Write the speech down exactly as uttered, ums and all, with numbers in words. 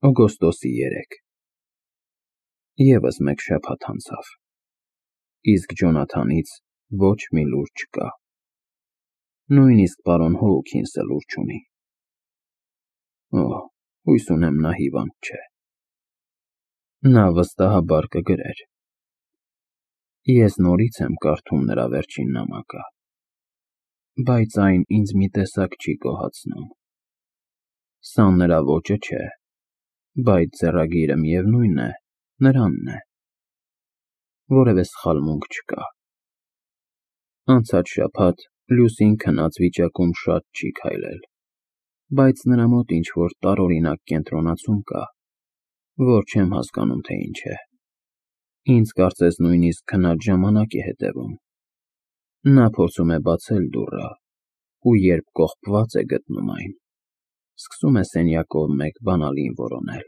Օգոստոսի երեկը Եվս մեկ շաբաթ անցավ, իսկ Ջոնաթանից ոչ մի լուր չկա, նույնիսկ պարոն Հոուքինսը լուր չունի։ Օհ, հույս ունեմ նա հիվանդ չէ։ Նա վստահաբար կգրեր։ Ես նորից եմ կարդում նրա վերջին նամակը, բայց այն ինձ մի տեսակ չի գոհացնում։ Սա նրա ոճը չէ, բայց ձեռագիրը, միևնույն է, նրանն է։ Որևէ սխալմունք չկա։ Անցած շաբաթ Լուսին քնած վիճակում շատ չի քայլել, բայց նրա մոտ ինչ-որ տարօրինակ կենտրոնացում կա, որ չեմ հասկանում, թե ինչ է։ Ինձ կարծես նույնիսկ քնած ժամանակ է հետևում։ Նա փորձում է բացել դուռը, ու երբ կողպված է գտնում այն, սկսում է սենյակով մեկ բանալին որոնել։